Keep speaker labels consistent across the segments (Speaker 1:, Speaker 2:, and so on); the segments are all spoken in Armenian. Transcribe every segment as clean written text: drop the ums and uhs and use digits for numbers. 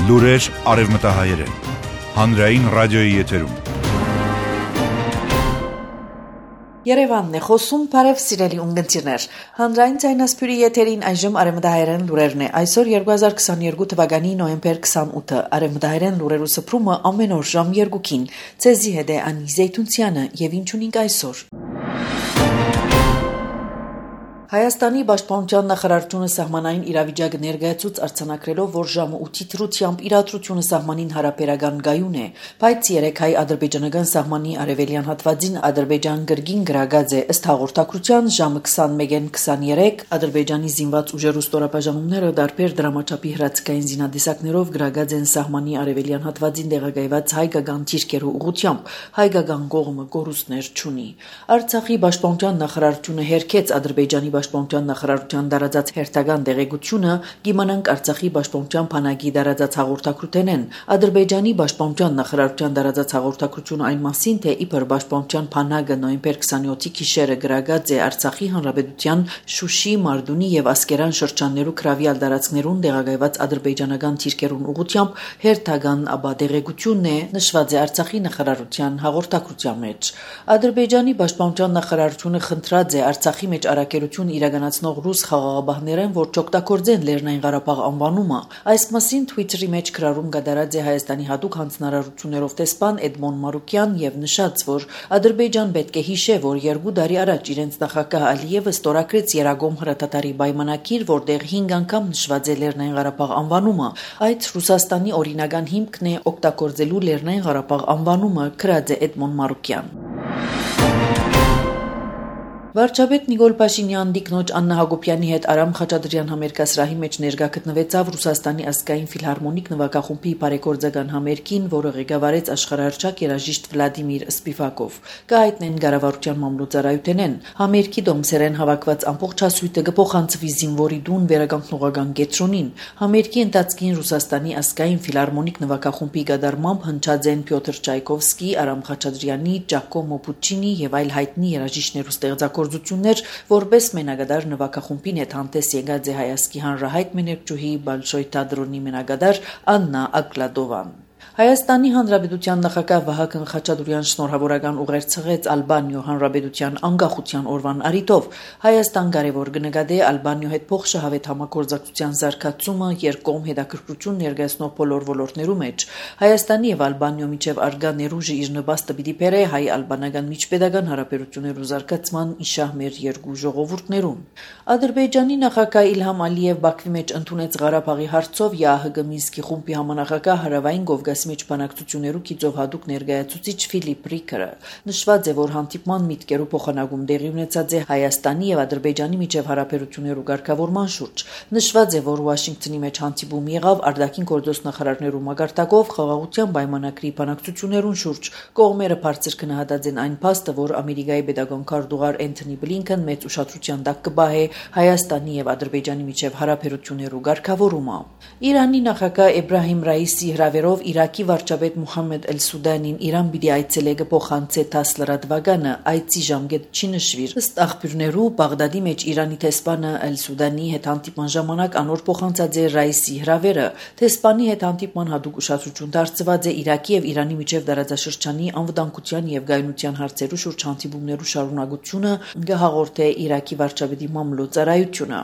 Speaker 1: Լուրեր արևմտահայերեն, հանրային ռադիոյի եթերում։
Speaker 2: Երևանն է խոսում, բարև սիրելի ունգընտիրներ։ Հանրային ձայնասփյուրի եթերին այժմ արևմտահայերեն լուրերն է։ Այսօր 2022 թվականի նոյեմբեր 28-ը արևմտահայերեն լուրերու սփռումը ամեն օր ժամ 2-ին։ Ցեզի հետ է Անի Զեյթունցյանը եւ ինչ ունենք այսօր։ Հայաստանի Պաշտպանության նախարարությունը սահմանային իրավիճակը ներկայացուց արձանագրելով, որ ժամը 8-ի դրությամբ իրադրությունը սահմանին հարաբերական գայուն է, բայց 3 հայ-ադրբեջանական սահմանի արևելյան հատվածին Ադրբեջան գրգին գրագած է ըստ հաղորդակցության ժամը 21:23 Ադրբեջանի զինված ուժերու ստորաբաժանումները դարբեր դրամաչափի հրացիկային զինադեսակներով գրագած են սահմանի արևելյան հատվածին տեղակայված հայկական թիրքերու ուղղությամբ, հայկական կողմը գորուստներ չունի։ Արցախի Պաշտպանության նախարարությունը հերքեց Ադրբեջանի Պաշտպանության նախարարության դարաձած հերթական դեղեցությունը գիմանանք Արցախի Պաշտպանության բանակի դարաձած հաղորդակցութենեն Ադրբեջանի Պաշտպանության նախարարության դարաձած հաղորդակցությունը այն մասին, թե իբր Պաշտպանության բանակը նոյեմբեր 27-ի գիշերը գրագած է Արցախի Հանրապետության Շուշի, Մարդունի եւ Ասկերան շրջաններու քրավյալ դարածքներուն տեղակայված ադրբեջանական թիրքերուն ուղղությամբ հերթական դեղեցությունն է նշված է Արցախի նախարարության հաղորդակցության մեջ։ Ադրբեջանի Պաշտպանության նախարարությունը խնդրած է Արցախի մեջ առաքելություն իրականացնող ռուս խաղաղապահներեն, որ չօգտագործեն Լեռնային Ղարաբաղ անվանումը։ Այս մասին Twitter-ի մեջ գրառում կատարած է Հայաստանի հատուկ հանձնարարություններով տեսփան Էդմոն Մարուկյան եւ նշած, որ Ադրբեջան պետք է հիշե, որ 2 տարի առաջ իրենց նախագահ Ալիևը ստորագրեց Երագոմ հրատատարի պայմանակիր, որտեղ 5 անգամ նշված է Լեռնային Ղարաբաղ անվանումը։ Այդ Ռուսաստանի օրինական հիմքն է օգտագործելու Լեռնային Ղարաբաղ անվանումը, գրած է Էդմոն Մարուկյան։ Վարչապետ Նիկոլ Փաշինյանն դիկնոջ Աննա Հակոբյանի հետ Արամ Խաչատրյան համերգասրահի մեջ ներկա գտնվեցավ Ռուսաստանի ազգային ֆիլհարմոնիկ նվագախումբի բարեգործական համերգին, որը ղեկավարեց աշխարհահռչակ երաժիշտ Վլադիմիր Սպիվակով։ Կայտնեն կառավարության մամլոյցարայութենեն համերգի դոմսերեն հավաքված ամբողջ հասույթը կփոխանցվի զինվորի դուն վերականգնողական կետրոնին։ Համերգի ընթացքին Ռուսաստանի ազգային ֆիլհարմոնիկ նվագախումբի գդարմամբ հնչած են Պյոտր Չայկովսկի, Արամ Խաչատրյանի, Ջակոմո Պուչինի եւ այլ հայտնի երաժիշտներու ստեղծագործություններ, որպես մենակադար նվագախումբին հետ հանդես եկած է հայաստանի հանրահայտ մեներկչուհի Բալշոյ թատրոնի մենակադար Աննա Ակլադովան։ Հայաստանի Հանրապետության նախագահ Վահագն Խաչատուրյան շնորհավորական ուղերձ Ալբանիո Հանրապետության անկախության օրվան առիթով Հայաստան կարևոր կնկատի Ալբանիո հետ փոխշահավետ համագործակցության զարգացումը երկկողմ հետաքրքրություն ներկայացնող բոլոր ոլորտներու մեջ Հայաստանի եւ Ալբանիո միջև արգա ներուժը իր նպաստը պիտի բերե հայ-ալբանական միջպետական հարաբերություններու զարգացման իշահ մեր երկու ժողովուրդներուն։ Ադրբեջանի նախագահ Իլհամ Ալիև Բաքվի մեջ ընդունեց Ղարաբաղի հարցով ՀՀԳ Մինսկի խումբի համանախագահ Հարավային Կովկասի մեջ բանակցություններու գիծով հատուկ ներկայացուցիչ Ֆիլիպ Ռիկերը։ Նշված է, որ հանդիպման միտքերու փոխանակում տեղի ունեցած է Հայաստանի եւ Ադրբեջանի միջև հարաբերություններու ղեկավարման շուրջ։ Նշված է, որ Վաշինգտոնի մեջ հանդիպում եղավ արտաքին գործոստ նախարարներու մակարդակով խաղաղության պայմանագրի բանակցություններուն շուրջ։ Կողմերը բարձր գնահատած են այն փաստը, որ Ամերիկայի պետական քարտուղար Էնթոնի Բլինքեն մեծ ուշադրության տակ կբահե Հայաստանի եւ Ադրբեջանի միջև հարաբերություններու ղեկավարումը։ Իրանի նախագահ Էբրահիմ Ռայիսի հրավերով Իրաքի վարչապետ Մուհամմեդ Էլ-Սուդանին Իրան պիտի այցելե կփոխանցե Թասլրադվագանը այցի ժամկետ չի նշվիր։ Ըստ աղբյուրներու Բաղդադի մեջ Իրանի տեսփանը Էլ-Սուդանի հետ հանդիպման ժամանակ անոր փոխանցած է Ռայիսի հրավերը։ Տեսփանի հետ հանդիպման հատուկ ուշադրություն դարձված է Իրաքի եւ Իրանի միջև դարաձաշրջանի անվտանգության եւ գայունության հարցերու շուրջ հանդիպումներու շարունակությունը գահաղորդե Իրաքի վարչապետի մամլոյցարայությունը։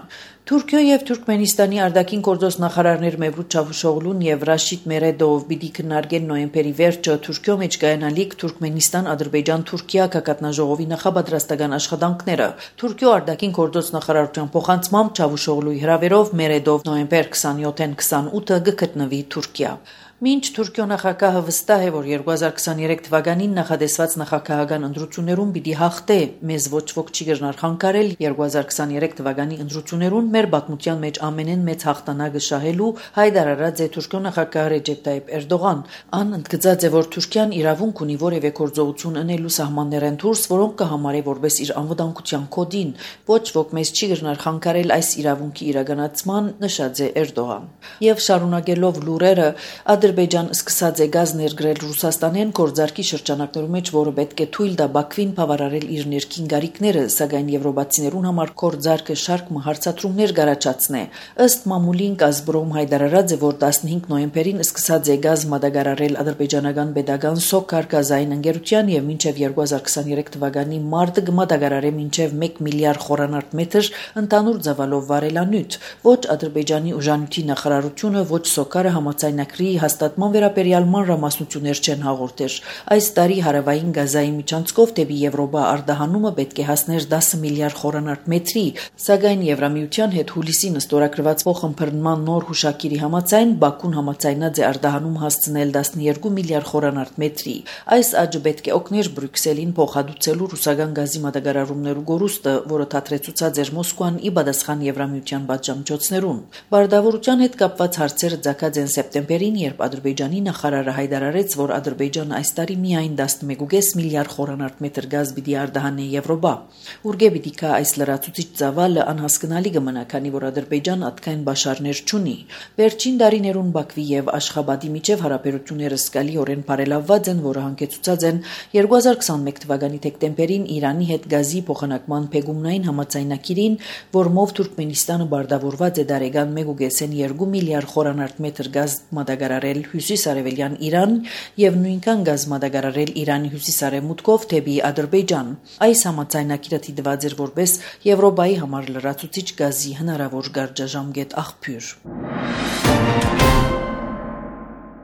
Speaker 2: Թուրքիո եւ Թուրքմենստանի արտաքին գործոս նախարարներ Մևլութ Չավուշօղլուն եւ Ռաշիդ Մերեդով պիտի քննարկեն նոյեմբերի վերջը Թուրքիո մեջ կայանալիք Թուրքմենստան-Ադրբեջան-Թուրքիա կակատնաժողովի նախապատրաստական աշխատանքները։ Թուրքիո արտաքին գործոս նախարարության փոխանցմամբ Չավուշօղլուի հրավերով Մերեդով նոյեմբեր 27-ին 28-ը կգտնվի Թուրքիա։ Մինչ Թուրքիո նախագահը վստահ է, որ 2023 թվականին նախադեсված նախագահական ընտրություններուն պիտի հաղթե, մեզ ոչ ոք չի գժնար խանգարել 2023 թվականի ընտրություններուն մեր պատմության մեջ ամենեն մեծ հաղթանակը շահելու հայտարարած է Թուրքիո նախագահ Ռեջեփ Տայիփ Էրդողան։ Ան ընդգծած է, որ Թուրքիան իրավունք ունի որևէ գործողություն անելու սահմաններեն դուրս, որոնք կհամարի որպես իր անվտանգության կոդին։ Ոչ ոք մեզ չի գժնար խանգարել այս իրավունքի իրականացման, նշած է Էրդողան։ Եվ շարունակելով լուրերը, Ադրբեջան սկսած է գազ ներգրել Ռուսաստանեն գործարքի շրջանակներու մեջ, որը պետք է թույլ տա Բաքվին բավարարել իր ներքին գարիքները, սակայն եվրոպացիներուն համար գործարքը շարք հարցատրումներ գարաչացնե։ Ըստ մամուլին Կազբրոմ հայտարարած է, որ 15 նոյեմբերին սկսած է գազ մատակարարել ադրբեջանական պետական Սոկար գազային ընկերության եւ մինչեւ 2023 թվականի մարտը կմատակարարե մինչեւ 1 միլիարդ խորանարդ մետր ընդհանուր ծավալով վարելանյութ։ Ոչ Ադրբեջանի ուժանյութի նախարարությունը, ոչ Սոկարը համաձայնագրի հաստատման վերաբերյալ մանրամասնություններ չեն հաղորդեր։ Այս տարի հարավային գազայի միջանցքով դեպի Եվրոպա արտահանումը պետք է հասներ 10 միլիարդ խորանարդ մետրի, սակայն Եվրամիության հետ հուլիսին ստորագրված փոխըմբռնման նոր հուշագիրի համաձայն Բաքուն համաձայնած է արտահանում հասցնել 12 միլիարդ խորանարդ մետրի։ Այս աճը պետք է օգներ Բրյուսելին փոխհատուցելու ռուսական գազի մատակարարումներու գորուստը, որը թատրեցուցած էր Մոսկվան ի պատասխան Եվրամիության պատժամիջոցներուն։ Բարդավորության հետ կապված հարցերը ցակած են սեպտեմբերին, երբ Ադրբեջանի նախարարը հայտարարեց, որ Ադրբեջանը այս տարի միայն 11.5 միլիարդ խորանարդ մետր գազ պիտի արտահանի Եվրոպա։ Ուրգե պիտի կա այս լրացուցիչ ծավալը անհասկանալի կմնա, քանի որ Ադրբեջան այդքան բաշարներ չունի։ Վերջին տարիներուն Բաքվի եւ Աշխաբադի միջև հարաբերությունները սկալիորեն բարելավված են, որը հանգեցուցած են 2021 թվականի դեկտեմբերին Իրանի հետ գազի փոխանակման փեգումնային համաձայնագիրին, որմով Թուրքմենիստանը բարդավորված է դարեգան 1.2 միլիարդ խորանարդ մետր գազ մատակարարել հյուսիսարևելյան Իրան եւ նույնքան գազ մատակարարել Իրանի հյուսիսարևմուտքով դեպի Ադրբեջան։ Այս համաձայնագիրը դիտված էր որպես Եվրոպայի համար լրացուցիչ գազի հնարավոր գարժաժամկետ աղբյուր։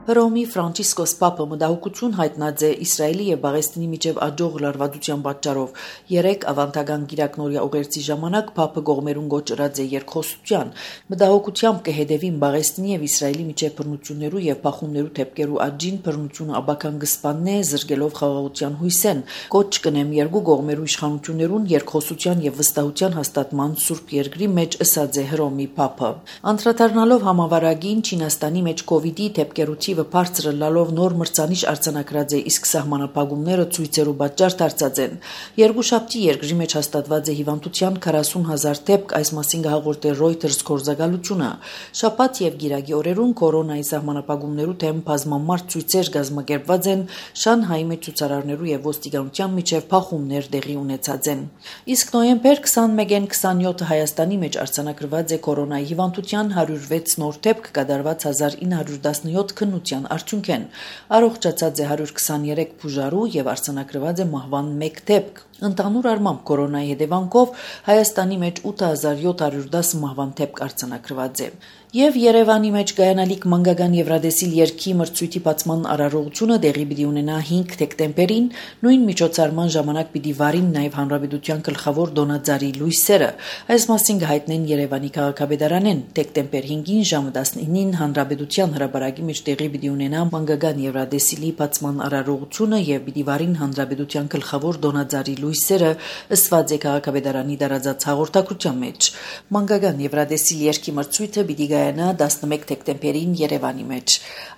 Speaker 2: Հռոմի Ֆրանցիսկոս Պապը մտահոգություն հայտնած է Իսրայելի եւ Պաղեստինի միջև աջող լարվածության պատճառով։ 3 ավանդական գիրակնորյա ուղերձի ժամանակ Պապը գողմերուն գոչրած է երկխոսության։ Մտահոգությամբ կհետևին Պաղեստինի եւ Իսրայելի միջև բռնություններու եւ փախումներու թեփկերու աճին բռնությունը աբական կսպաննե, զրկելով խաղաղության հույսեն։ Կոչ կնեմ երկու գողմերու իշխանություններուն երկխոսության եւ վստահության հաստատման Սուրբ Երկրի մեջ ըսած է Հռոմի Պապը։ Անդրադառնալով համավարակին Չինաստանի մեջ կոവിഡ്ի թեփկերության բարձրը լալով նոր մրցանիշ արձանագրած է, իսկ սահմանապահումները ցույցերու պատճառ դարձած են։ Երկուշաբթի երկրի մեջ հաստատված է հիվանդության 40,000 դեպք, այս մասին հաղորդել է Reuters գործակալությունը։ Շաբաթ եւ գիրակի օրերուն կորոնայի սահմանապահումներու թեմ բազմամարդ ցույցեր կազմակերպված են, Շանհայի մեջ ցուցարարներու եւ ոստիկանության միջև փախումներ տեղի ունեցած են։ Իսկ նոյեմբեր 21-ին 27-ը Հայաստանի մեջ արձանագրված է կորոնայի հիվանդության 106 նոր դեպք, կատարված 1917 քննության արդյունքեն։ Առողջացած է 123 բուժարու եւ արձանագրված է մահվան 1 դեպք։ Ընդհանուր առմամբ կորոնայի հետևանքով Հայաստանի մեջ 8710 մահվան դեպք արձանագրված է։ Եվ Երևանի մեջ կայանալիք մանկական Եվրադեսիլ երկի մրցույթի բացման արարողությունը տեղի պիտի ունենա 5 դեկտեմբերին, նույն միջոցառման ժամանակ պիտի վարին նաև Հանրապետության գլխավոր դոնաձարի լույսերը։ Այս մասին կհայտնեն Երևանի քաղաքապետարանեն դեկտեմբեր 5-ին ժամը 19-ին Հանրապետության հրապարակի մեջ տեղի պիտի ունենա մանկական Եվրադեսիլի բացման արարողությունը եւ պիտի վարին Հանրապետության գլխավոր դոնաձարի լույսերը, ըսված է քաղաքապետարանի տարածած հաղորդակցության մեջ։ Մանկական Եվրադեսիլ երկի մրցույթը պիտի գայանա 11 դեկտեմբերին Երևանի մեջ։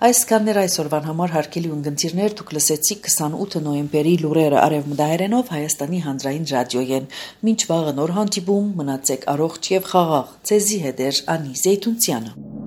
Speaker 2: Այսքաններ այսօրվան համար հարգելի ունգընտիրներ, դուք լսեցիք 28 նոյեմբերի լուրերը Արևմտահայերենով Հայաստանի հանրային ռադիոյեն։ Մինչ վաղը նոր հանդիպում, մնացեք առողջ եւ խաղաղ։ Ձեզի հետ է Անի Զեյթունցյանը։